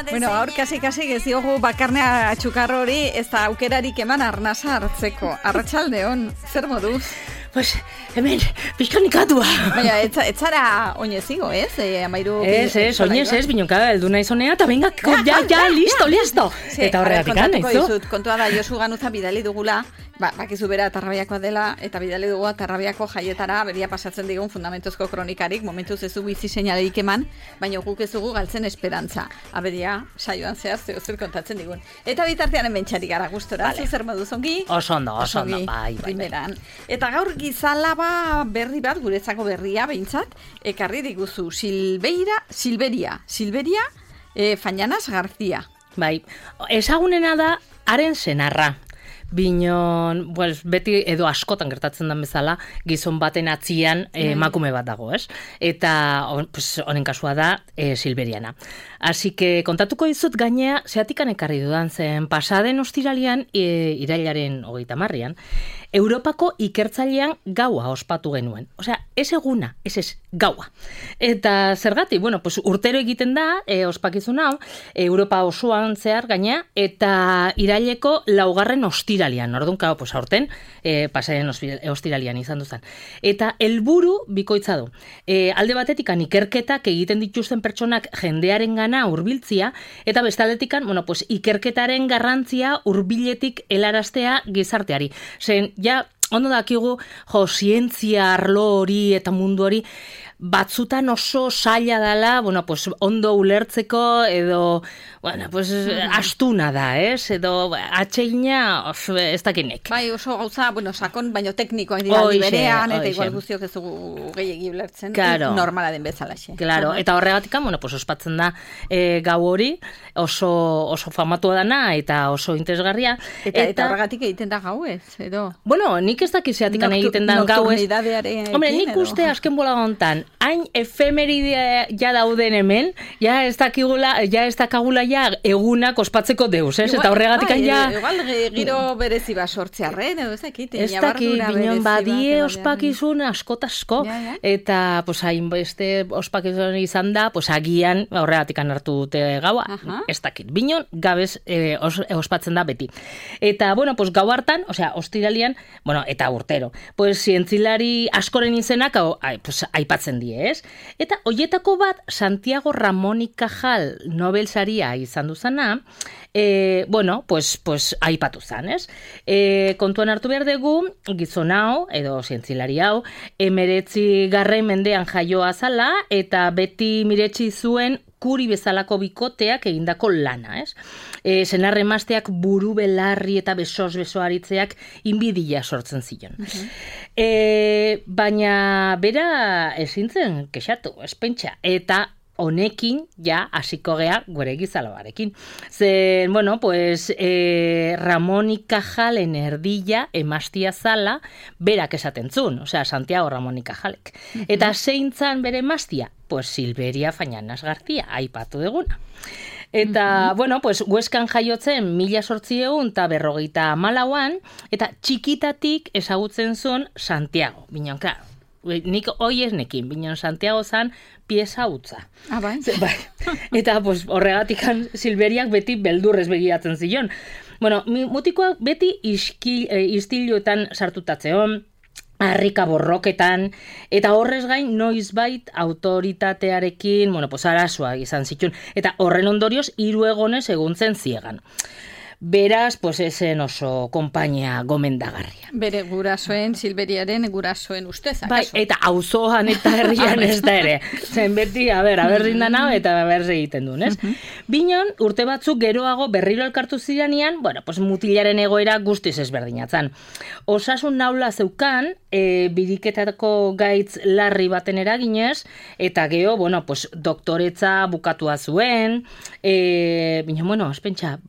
Bueno, gaur kasi ez diogu bakarnea txukarro hori ez da aukerarik eman arnasa hartzeko. Arratsaldeon, zer moduz? Pues, hemen, pixkanikatua. Baina, etzara oinezigo, ez? Amairu... Ez, oinez ez, binonka, eldu nahi zonea, eta venga, ja, listo. Eta horregatik anaizu. Kontua da, Josu Ganuza bidali dugula, bakizu bera Tarrabiakoa dela, eta bidali dugu Tarrabiako jaietara, beria pasatzen digun fundamentuzko kronikarik, momentuz ez du bizi seinalerik eman, baina guk ez dugu galtzen esperantza. Aberia, saioan zehaz, zer kontatzen digun. Eta bitartean hementxarik gara gustora, zer moduz ongi? Oso ondo, bai. Eta gaur gizalaba berri bat, guretzako berria behintzat, ekarri diguzu Silberia, Fañanas García. Bai, ezagunena da haren senarra. Binon, beti edo askotan gertatzen den bezala, gizon baten atzian emakume bat dago, ez? Eta honen kasua da Silberiana. Así que kontatuko dizut gainea, zeatikan ekarri dudan zen, pasaden ostiralian, irailaren 30an, Europako ikertzailean gaua ospatu genuen. Osea, ez eguna, ez gaua. Eta zergatik, urtero egiten da, ospakizun hau, Europa osoan zehar gainea, eta iraileko 4. ostiralian. Orduan, aurten, pasaden ostiralian izan duzan. Eta helburu bikoitza du. Alde batetikan ikerketak egiten dituzten pertsonak jendearen gana hurbiltzia, eta bestaletikan, ikerketaren garrantzia hurbiletik helaraztea gizarteari. Zen, ondo dakigu, zientzia arlo hori eta mundu hori, batzutan oso zaila dela, ondo ulertzeko, edo, astuna da, ez? Edo, atxeina, ez dakinek. Bai, oso gauza, sakon, baino teknikoak dira berean, eta igual guztiok ez dugu gehiagi ulertzen, normala den bezalaxe. Claro, eta horregatikan, ospatzen da gau hori, oso famatua dana, eta oso interesgarria. Eta horregatik egiten da gau ez, edo? Nik ez dakizeatikan egiten da gau ez. Hombre, nik uste azken bola gontan, hain efemeridea ja dauden hemen, ja ez dakagula ja egunak ospatzeko deus, ez? Eta horregatik igual giro berezi bat sortzearren, edo ez dakit. Ez dakit, binon badie ospakizun asko, eta hain beste ospakizun izan da, agian horregatik hartu dute gaua, ez dakit. Binon gabez ospatzen da beti. Eta, gau hartan, ostiralian, eta urtero, zientzilari askoren izenak aipatzen die, ez? Eta hoietako bat Santiago Ramón y Cajal Nobel saria izan duzana, aipatu zan, ez? Kontuan hartu behar dugu, gizon hau, edo zientzilari hau, 19. mendean jaioa zala, eta beti miretsi zuen Kuri bezalako bikoteak egindako lana, ez? Senarre emazteak buru belarri eta beso aritzeak inbidia sortzen zion. Baina bera ezintzen kexatu, espentsa, eta honekin hasiko gea gure gizalabarekin. Zen, Ramón y Cajalen erdilla emaztia zala berak esaten zuen, Santiago Ramón y Cajalek. Eta zeintzan bere emaztia? Silberia Fañanas García, aipatu duguna. Eta, Hueskan jaiotzen 1854an, eta txikitatik ezagutzen zuen Santiago. Binon, nik hoi ez nekin, binon Santiago zan pieza hutza. Bai? Bai. Eta, horregatik Silberiak beti beldurrez begiratzen zion. Mutikoak beti istiluetan sartutatzeon, harrika borroketan, eta horrez gain noizbait autoritatearekin, arazoa izan zituen, eta horren ondorioz 3 egonez eguntzen ziegan. Beraz, esen oso konpainia gomendagarria. Bere gurasoen, Silberiaren gurasoen ustez, akaso? Eta auzoan eta herrian ez da ere. Zen beti, berrin dana eta berri egiten duen, ez? Binon, urte batzuk geroago berriro elkartu ziranean, mutilaren egoera guztiz ezberdinatzen. Osasun naula zeukan, biriketako gaitz larri baten eraginez, eta geho, doktoretza bukatua zuen, binon, espentsa,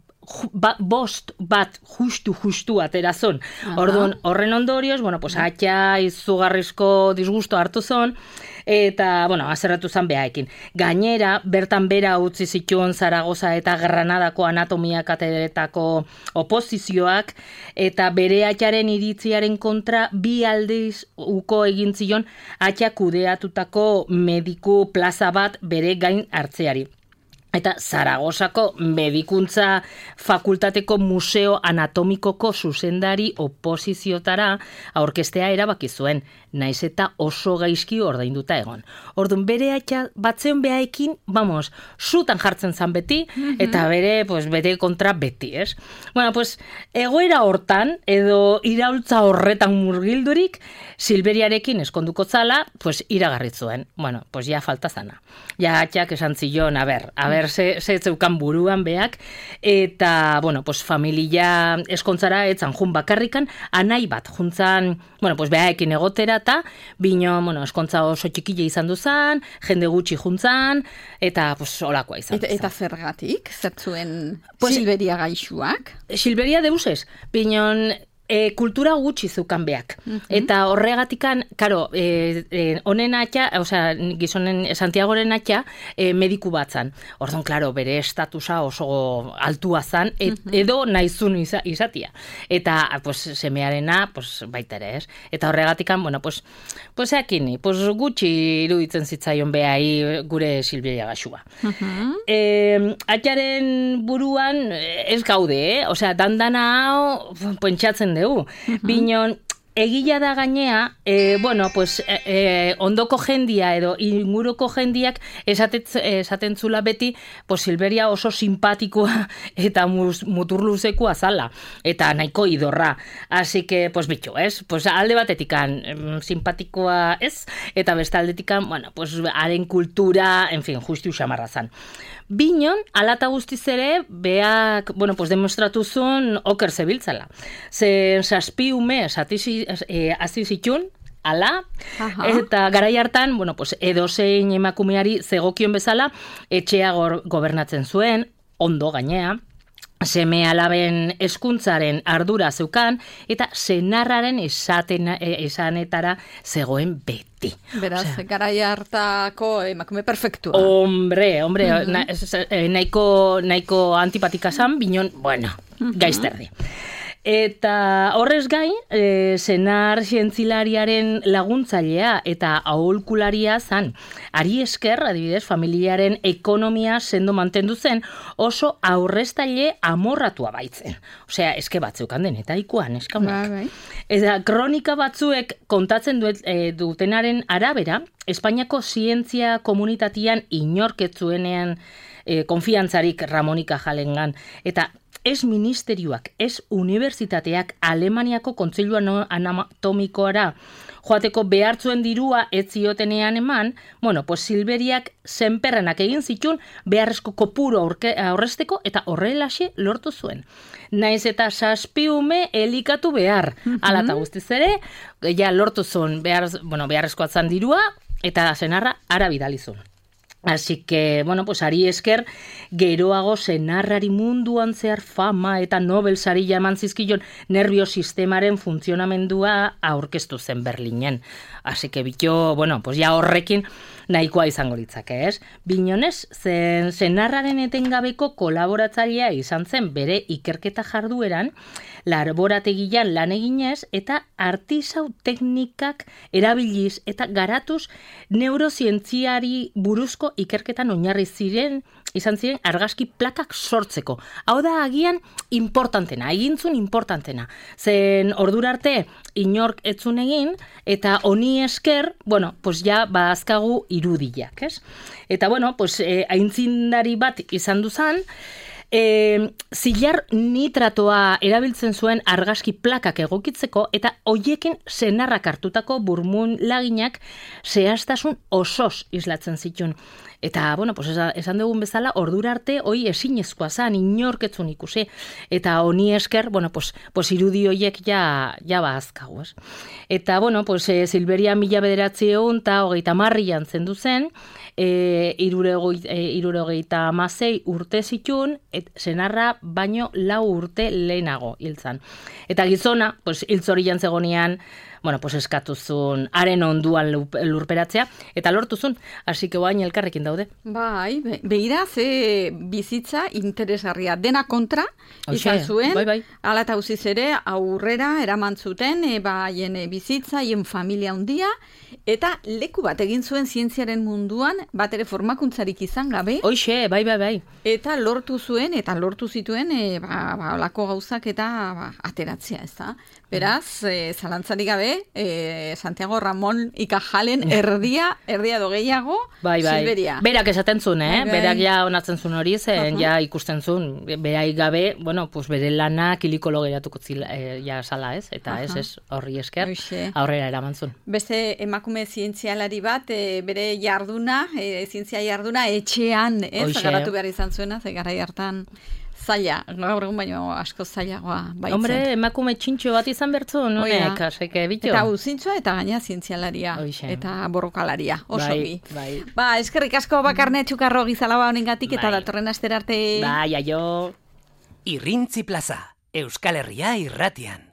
bost bat justu aterazon. Orduan, horren ondorioz, atxa izugarrizko disgusto hartu zon, eta, azerratu zan behaekin. Gainera, bertan bera utzi zituen Zaragoza eta Granadako anatomia kateretako oposizioak, eta bere atxaren iritziaren kontra 2 aldiz uko egin zion atxa kudeatutako mediku plaza bat bere gain hartzeari. eta Zaragozako Medikuntza Fakultateko Museo Anatomikoko zuzendari oposiziotara aurkestea erabaki zuen, naiz eta oso gaizki ordainduta egon. Orduan, bere atxa batzeon behaekin, zutan jartzen zan beti, eta bere kontra beti, ez? Bueno, egoera hortan, edo iraultza horretan murgildurik, Silberiarekin eskonduko zala, iragarri zuen. Bueno, ja falta zana. Ja atxak esan zion, a ber, ze zeukan buruan beak, eta, familia eskontzara etzan jun bakarrikan, anai bat, juntzan, behaekin egotera, eta, bino, eskontza oso txikile izan duzan, jende gutxi juntzan, eta, olakoa izan duzan. Eta zergatik, zertzuen Silberia gaixuak? Silberia deusez, binon, kultura gutxi zeukan beak. Eta horregatikan, karo, honen atxa, gizonen Santiagoren atxa, mediku batzan. Orduan, klaro, bere estatusa oso altua zan, edo naizun izatia. Eta, semearena, baita ere, ez? Eta horregatikan, gutxi iruditzen zitzaion behai gure Silberia gaxua. Atxaren buruan ez gaude, dandana hau pentsatzen dugu. Binon, egila da gainea, ondoko jendia edo inguruko jendiak esaten zula beti, Silberia oso simpatikoa eta muturluzekoa zala, eta nahiko idorra. Así que, bitxo, ez? Alde batetikan simpatikoa ez, eta bestaldetikan, haren kultura, en fin, justu xamarra zan. Binon, alata guztiz ere, beak, demostratu zuen oker zebiltzala. Zen saspiume hasi zitun, ala, eta garai hartan, edozein emakumeari zegokion bezala, etxea gobernatzen zuen, ondo gainea, seme alaben hezkuntzaren ardura zeukan, eta senarraren esanetara zegoen beti. Beraz, garai hartako emakume perfektua. Hombre, nahiko antipatika zan, binon, gaizterdi. Eta horrez gain, senar zientzilariaren laguntzailea eta aholkularia zan. Ari esker, adibidez, familiaren ekonomia sendo mantendu zen, oso aurreztaile amorratua baitzen. Osea, eske batzeukan denetaikoan, eskaunak. Eta kronika batzuek kontatzen dutenaren arabera, Espainiako zientzia komunitatian inorketzuenean konfiantzarik Ramonika Jalengan. Eta ez ministerioak, ez unibertsitateak Alemaniako kontseilu anatomikoara joateko behartzuen dirua ez ziotenean eman, Silberiak zenperrenak egin zitun beharrezko kopuru aurrezteko eta horrelaxe lortu zuen. Naiz eta saspiume elikatu behar. Ala eta guztiz ere, lortu zuen beharrezko atzan dirua eta senarra ara bidalizun. Así que, ari esker, geroago senarrari munduan zehar fama eta Nobel saria eman zizkion nervio sistemaren funtzionamendua aurkeztu zen Berlinen. Así que, ja horrekin nahikoa izango litzake, ez? Binonez, senarraren etengabeko kolaboratzailea izan zen bere ikerketa jardueran, laborategian lan eginez eta artisau teknikak erabiliz eta garatuz neurozientziari buruzko ikerketan oinarri izan ziren argazki plakak sortzeko. Hau da agian importantena, egintzun importantena. Zen ordurarte inork etzun egin eta honi esker, ja badazkagu irudiak, ez? Eta aintzindari bat izan duzan, zilar nitratoa erabiltzen zuen argazki plakak egokitzeko eta hoiekin senarrak hartutako burmun laginak zehaztasun osoz islatzen zituen. Eta, esan dugun bezala, ordura arte, hoi ezinezkoa zan, inorketzun ikusi. Eta honi esker, irudi hoiek ja bazkagu, ez? Eta, Silberia 1900 eta 30 zendu zen, 76 urte zitun, senarra baino 4 urte lehenago hiltzan. Eta gizona, hiltzori jantzegonean, bueno, pues eskatuzun haren onduan lurperatzea, eta lortuzun, así que oain elkarrekin daude. Bai, beira, ze bizitza interesgarria dena kontra, izan zuen, bai. Ala eta uziz ere, aurrera eraman zuten, haien bizitza, haien familia handia, eta leku bat egin zuen zientziaren munduan, bat ere formakuntzarik izan gabe. Hoxe, bai. Eta lortu zituen, olako gauzak eta ateratzea, ez da? Beraz, zalantzarik gabe, Santiago Ramon Ikajalen erdia edo gehiago, bai. Silberia. Berak esaten zuen, berak ja onatzen zuen hori, zen ja ikusten zuen, berai gabe, bueno, pues bere lana kilikolo geratuko ja sala, ez? Eta ez, horri esker, aurrera eraman zuen. Beste emakume zientzialari bat, bere jarduna, zientzia jarduna etxean, ez? Garatu behar izan zuena, ze garai hartan zaila, gaur egun baino asko zailagoa baitzen. Hombre, emakume txintxo bat izan bertzu, nonek, aseke bito. Eta uzintxoa eta gaina zientzialaria, eta borrokalaria, oso bi. Ba, eskerrik asko Bakarne Txukarro Gizalaba honengatik eta datorren astera arte. Bai, aio. Irrintzi Plaza, Euskal Herria irratian.